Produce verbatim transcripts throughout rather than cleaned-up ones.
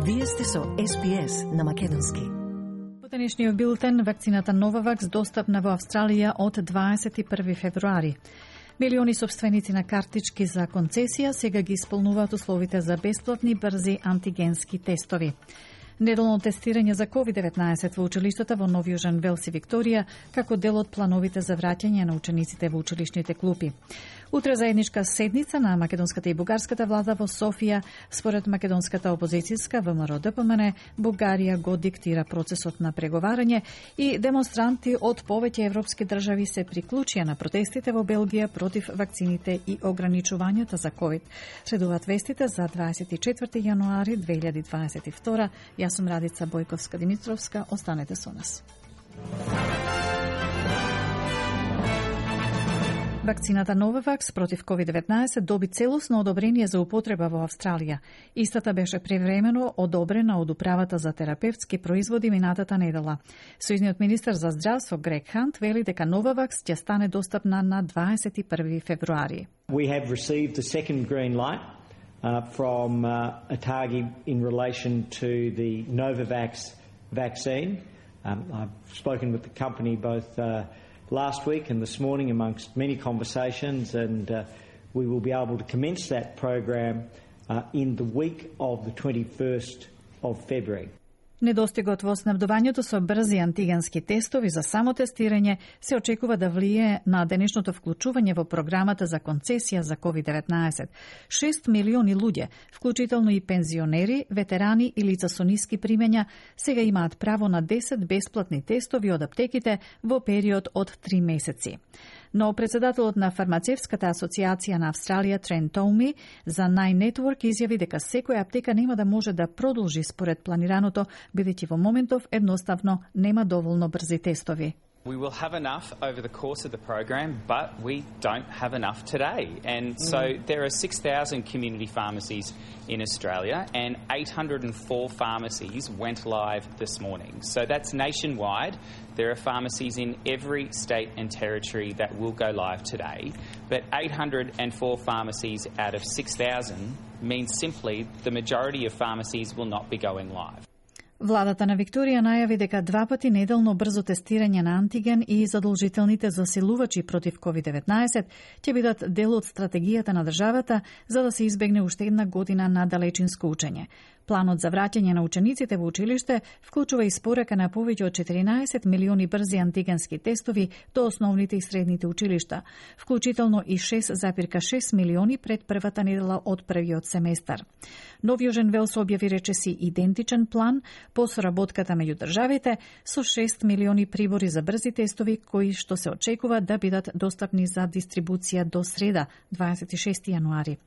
Вие сте со Ес Би Ес на македонски. Во денешниот билтен, вакцината Новавакс достапна во Австралија од дваесет и први февруари. Милиони собственици на картички за концесија сега ги исполнуваат условите за бесплатни брзи антигенски тестови. Неделно тестирање за ковид деветнаесет во училиштата во Нов Јужен Велс и Викторија како дел од плановите за враќање на учениците во училишните клупи. Утре заедничка седница на македонската и бугарската влада во Софија. Според македонската опозицијска Вэ Ем Ар Де Пе Ем Ен, Бугарија го диктира процесот на преговарање и демонстранти од повеќе европски држави се приклучија на протестите во Белгија против вакцините и ограничувањата за ковид. Следуваат вестите за дваесет и четврти јануари две илјади дваесет и втора. Јас сум Радица Бојковска-Димитровска. Останете со нас. Вакцината Новавакс против ковид деветнаесет доби целосно одобрение за употреба во Австралија. Истата беше превремено одобрена од Управата за терапевтски производи минатата недела. Сојузниот министер за здравство Грег Хант вели дека Новавакс ќе стане достапна на дваесет и први февруари. We have received the second green light uh, from uh, ATAGI in relation to the Novavax vaccine. Um, I've spoken with the company both uh, last week and this morning amongst many conversations, and uh, we will be able to commence that program uh, in the week of the twenty-first of February. Недостигот во снабдувањето со брзи антигенски тестови за самотестирање се очекува да влие на денешното вклучување во програмата за концесија за ковид деветнаесет. шест милиони луѓе, вклучително и пензионери, ветерани и лица со ниски примења, сега имаат право на десет бесплатни тестови од аптеките во период од три месеци. Но председателот на фармацевската асоциација на Австралија Трен Тоуми за Nine Network изјави дека секоја аптека нема да може да продолжи според планираното, бидејќи во моментов едноставно нема доволно брзи тестови. We will have enough over the course of the program, but we don't have enough today. And so there are six thousand community pharmacies in Australia, and eight hundred four pharmacies went live this morning. So that's nationwide. There are pharmacies in every state and territory that will go live today. But eight hundred four pharmacies out of six thousand means simply the majority of pharmacies will not be going live. Владата на Викторија најави дека два пати неделно брзо тестирање на антиген и задолжителните засилувачи против ковид деветнаесет ќе бидат дел од стратегијата на државата за да се избегне уште една година на далечинско учење. Планот за враќање на учениците во училиште вклучува и спорака на повеќе од четиринаесет милиони брзи антигенски тестови до основните и средните училишта, вклучително и шест запирка шест милиони пред првата недела од првиот семестар. Нов Јужен Велс објави речиси идентичен план по соработката меѓу државите со шест милиони прибори за брзи тестови кои што се очекува да бидат достапни за дистрибуција до среда, дваесет и шести јануари.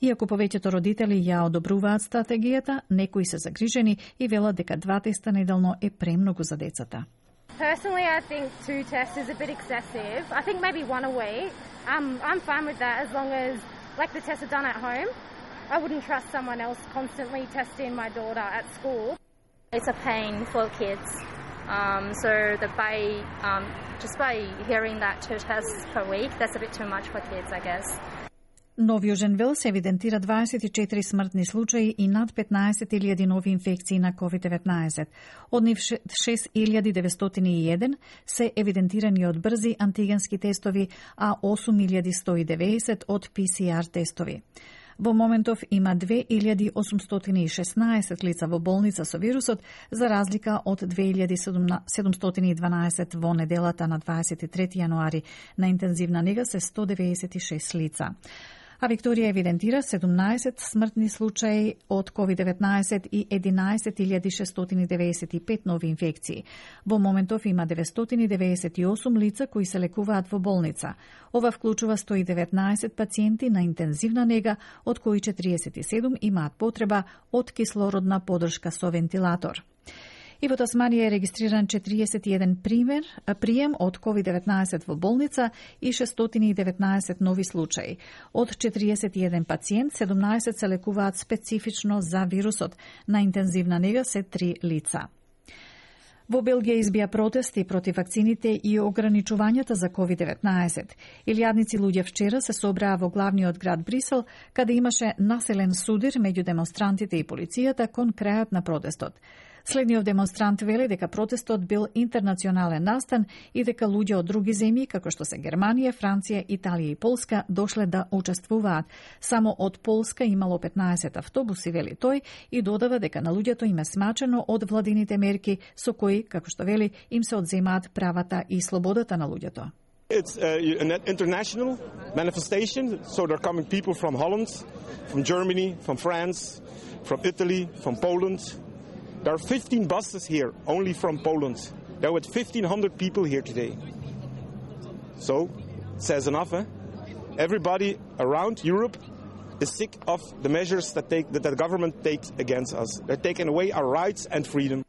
Иако повеќето родители ја одобруваат стратегијата, некои се загрижени и велат дека два теста неделно е премногу за децата. Personally, I think two tests is a bit excessive. I think maybe one a week. Um, I'm fine with that as long as, like, the tests are done at home. I wouldn't trust someone else constantly testing my daughter at school. It's a pain for kids. Um, so the by um, just by hearing that two tests per week, that's a bit too much for kids, I guess. Нов Јужен Велс евидентира дваесет и четири смртни случаи и над петнаесет илјади нови инфекции на ковид деветнаесет. Од нив шест илјади деветстотини и еден се евидентирани од брзи антигенски тестови, а осум илјади сто и деветдесет од Пи Си Ар тестови. Во моментов има две илјади осумстотини и шеснаесет лица во болница со вирусот, за разлика од две илјади седумстотини и дванаесет во неделата на дваесет и трети јануари. На интензивна нега се сто деветдесет и шест лица. А Викторија евидентира седумнаесет смртни случаи од ковид деветнаесет и единаесет илјади шестстотини деветдесет и пет нови инфекции. Во моментов има деветстотини деветдесет и осум лица кои се лекуваат во болница. Ова вклучува сто и деветнаесет пациенти на интензивна нега, од кои четириесет и седум имаат потреба од кислородна поддршка со вентилатор. И во Тасманија е регистриран четириесет и еден пример, прием од ковид деветнаесет во болница и шестстотини и деветнаесет нови случаи. Од четириесет и еден пациент, седумнаесет се лекуваат специфично за вирусот. На интензивна нега се три лица. Во Белгија избија протести против вакцините и ограничувањата за ковид деветнаесет. Илјадници луѓе вчера се собраа во главниот град Брисел, каде имаше населен судир меѓу демонстрантите и полицијата кон крајот на протестот. Следниот демонстрант вели дека протестот бил интернационален настан и дека луѓе од други земји, како што се Германија, Франција, Италија и Полска, дошле да учествуваат. Само од Полска имало петнаесет автобуси, вели тој, и додава дека на луѓето им е смачено од владините мерки со кои, како што вели, им се одземаат правата и слободата на луѓето. It's uh, an international manifestation, so there are coming people from Holland, from Germany, from France, from Italy, from Poland. There are fifteen buses here, only from Poland. There were fifteen hundred people here today. So, it says enough, eh? Everybody around Europe is sick of the measures that, take, that the government takes against us. They're taking away our rights and freedom.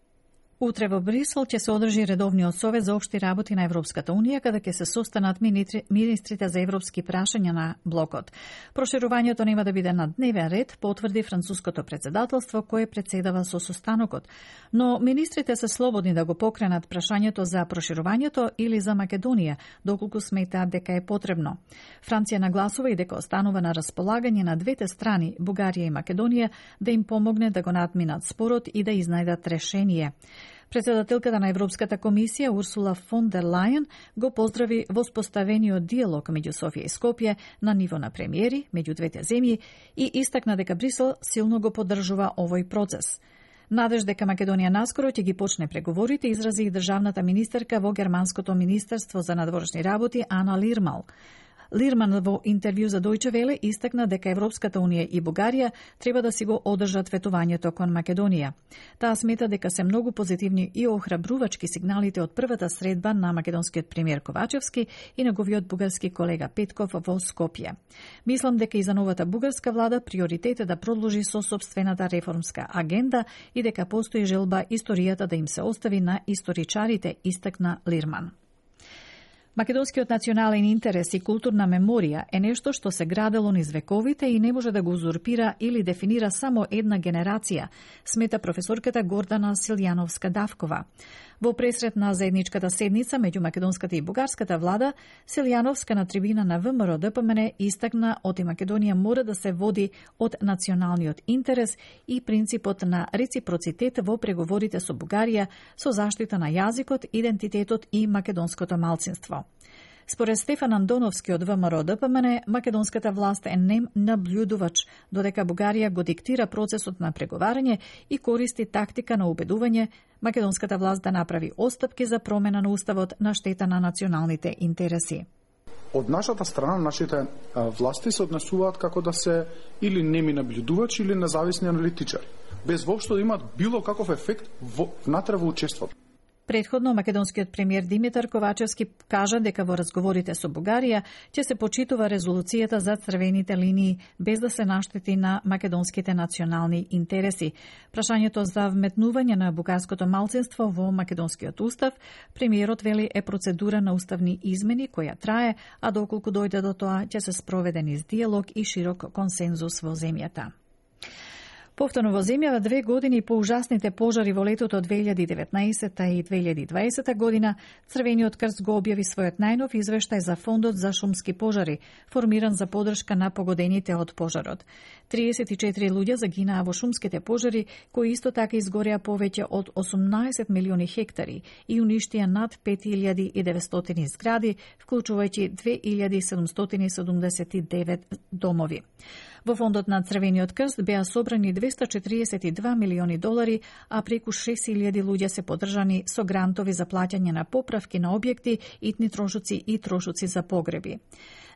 Утре во Брисел ќе се одржи редовниот совет за општи работи на Европската унија, каде ќе се состанат министрите за европски прашања на блокот. Проширувањето нема да биде на дневен ред, потврди француското председателство кое председава со состанокот, но министрите се слободни да го покренат прашањето за проширувањето или за Македонија, доколку сметаат дека е потребно. Франција нагласува и дека останува на располагање на двете страни, Бугарија и Македонија, да им помогне да го надминат спорот и да изнајдат решение. Председателката на Европската комисија Урсула фон дер Лајен го поздрави воспоставениот диалог меѓу Софија и Скопје на ниво на премиери меѓу двете земји и истакна дека Брисел силно го поддржува овој процес. Надеж дека Македонија наскоро ќе ги почне преговорите изрази и државната министерка во Германското министерство за надворешни работи Ана Лирмал. Лирман во интервју за Дојче Веле истакна дека Европската унија и Бугарија треба да си го одржат ветувањето кон Македонија. Таа смета дека се многу позитивни и охрабрувачки сигналите од првата средба на македонскиот премиер Ковачевски и неговиот бугарски колега Петков во Скопје. Мислам дека и за новата бугарска влада приоритет е да продолжи со сопствената реформска агенда и дека постои желба историјата да им се остави на историчарите, истакна Лирман. Македонскиот национален интерес и културна меморија е нешто што се градело низ вековите и не може да го узурпира или дефинира само една генерација, смета професорката Гордана Силјановска-Давкова. Во пресрет на заедничката седница меѓу македонската и бугарската влада, Силјановска на трибина на ВМРО Д П М Н истакна оти Македонија мора да се води од националниот интерес и принципот на реципроцитет во преговорите со Бугарија со заштита на јазикот, идентитетот и македонското малцинство. Според Стефан Андоновски од ВМРО Д П М Н, македонската власт е нем наблюдувач, додека Бугарија го диктира процесот на преговарање и користи тактика на убедување македонската власт да направи отстапки за промена на уставот на штета на националните интереси. Од нашата страна, нашите власти се однесуваат како да се или неми наблюдувачи или независни аналитичари, без воопшто да имаат било каков ефект внатре во учеството. Предходно, македонскиот премиер Димитар Ковачевски кажа дека во разговорите со Бугарија ќе се почитува резолуцијата за црвените линии без да се наштети на македонските национални интереси. Прашањето за вметнување на бугарското малцинство во македонскиот устав, премиерот вели е процедура на уставни измени која трае, а доколку дојде до тоа ќе се спроведе низ диалог и широк консензус во земјата. Повторно во земјава две години по ужасните пожари во летото две илјади и деветнаесета и две илјади и дваесета година, Црвениот крст го објави својот најнов извештај за Фондот за шумски пожари, формиран за поддршка на погодените од пожарот. триесет и четири луѓе загинаа во шумските пожари, кои исто така изгореа повеќе од осумнаесет милиони хектари и уништија над пет илјади и деветстотини згради, вклучувајќи две илјади седумстотини седумдесет и девет домови. Во фондот на Црвениот крст беа собрани двеста четиридесет и два милиони долари, а преку шест илјади луѓе се поддржани со грантови за плаќање на поправки на објекти, итни трошоци и трошоци за погреби.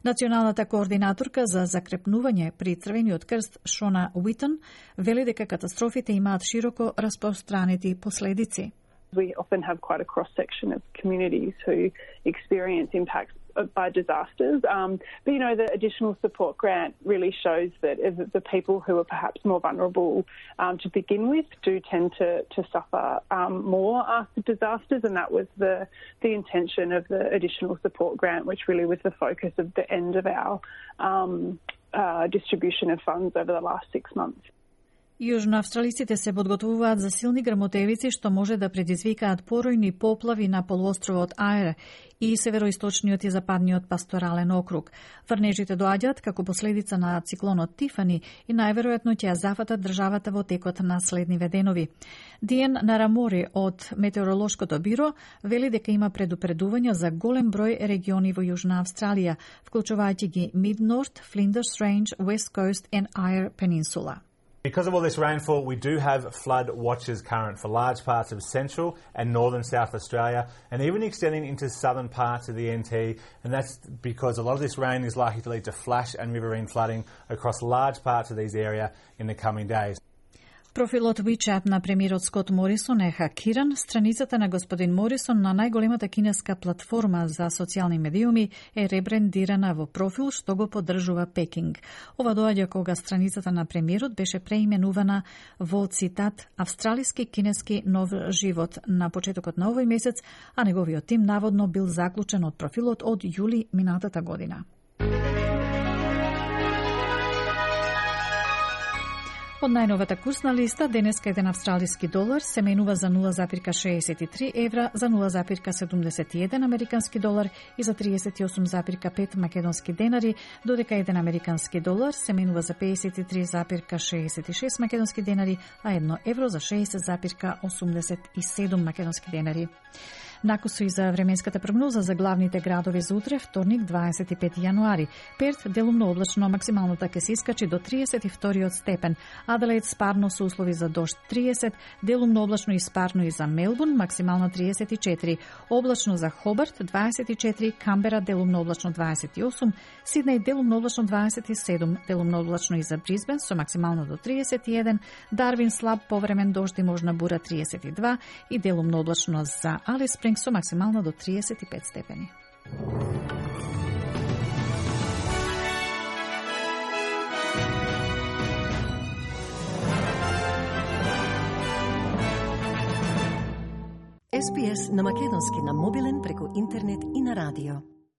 Националната координаторка за закрепнување при Црвениот крст Шона Уитон вели дека катастрофите имаат широко распространети последици. We often have quite a cross-section of communities who experience impacts by disasters. Um, but, you know, the additional support grant really shows that the people who are perhaps more vulnerable um, to begin with do tend to, to suffer um, more after disasters, and that was the, the intention of the additional support grant, which really was the focus of the end of our um, uh, distribution of funds over the last six months. Јужноавстралиците се подготвуваат за силни грмотевици што може да предизвикаат поројни поплави на полуостровот Ајр и североисточниот и западниот пасторален округ. Врнежите доаѓаат како последица на циклонот Тифани и најверојатно ќе ја зафатат државата во текот на следниве денови. Диен Нарамори од Метеоролошкото биро вели дека има предупредувања за голем број региони во Јужна Австралија, вклучувајќи ги Mid-North, Flinders Range, West Coast and Eyre Peninsula. Because of all this rainfall, we do have flood watches current for large parts of central and northern South Australia, and even extending into southern parts of the N T, and that's because a lot of this rain is likely to lead to flash and riverine flooding across large parts of these areas in the coming days. Профилот WeChat на премиерот Скот Морисон е хакиран. Страницата на господин Морисон на најголемата кинеска платформа за социјални медиуми е ребрендирана во профил што го поддржува Пекинг. Ова доаѓа кога страницата на премиерот беше преименувана во цитат Австралиски кинески нов живот на почетокот на овој месец, а неговиот тим наводно бил заклучен од профилот од јули минатата година. Од најновата курсна листа, денеска еден австралиски долар се менува за нула зарез шеесет и три евра, за нула зарез седумдесет и еден американски долар и за триесет и осум зарез пет македонски денари, додека еден американски долар се менува за пеесет и три зарез шеесет и шест македонски денари, а едно евро за шеесет зарез осумдесет и седум македонски денари. Накусу и за временската прогноза за главните градови за утре, вторник, дваесет и пети јануари. Перт делумно облачно, максималната ќе се искачи до триесет и втори степен. Аделаид спарно со услови за дожд триесет, делумно облачно и спарно и за Мелбурн, максимално триесет и четири. Облачно за Хобарт дваесет и четири, Камбера делумно облачно дваесет и осум, Сиднеј делумно облачно дваесет и седум, делумно облачно и за Брисбен со максимално до триесет и еден, Дарвин слаб повремен дожд и можна бура триесет и два и делумно облачно за Алис Спрингс со максимално до триесет и пет степени. Ес Би Ес на македонски на мобилен преку интернет и на радио.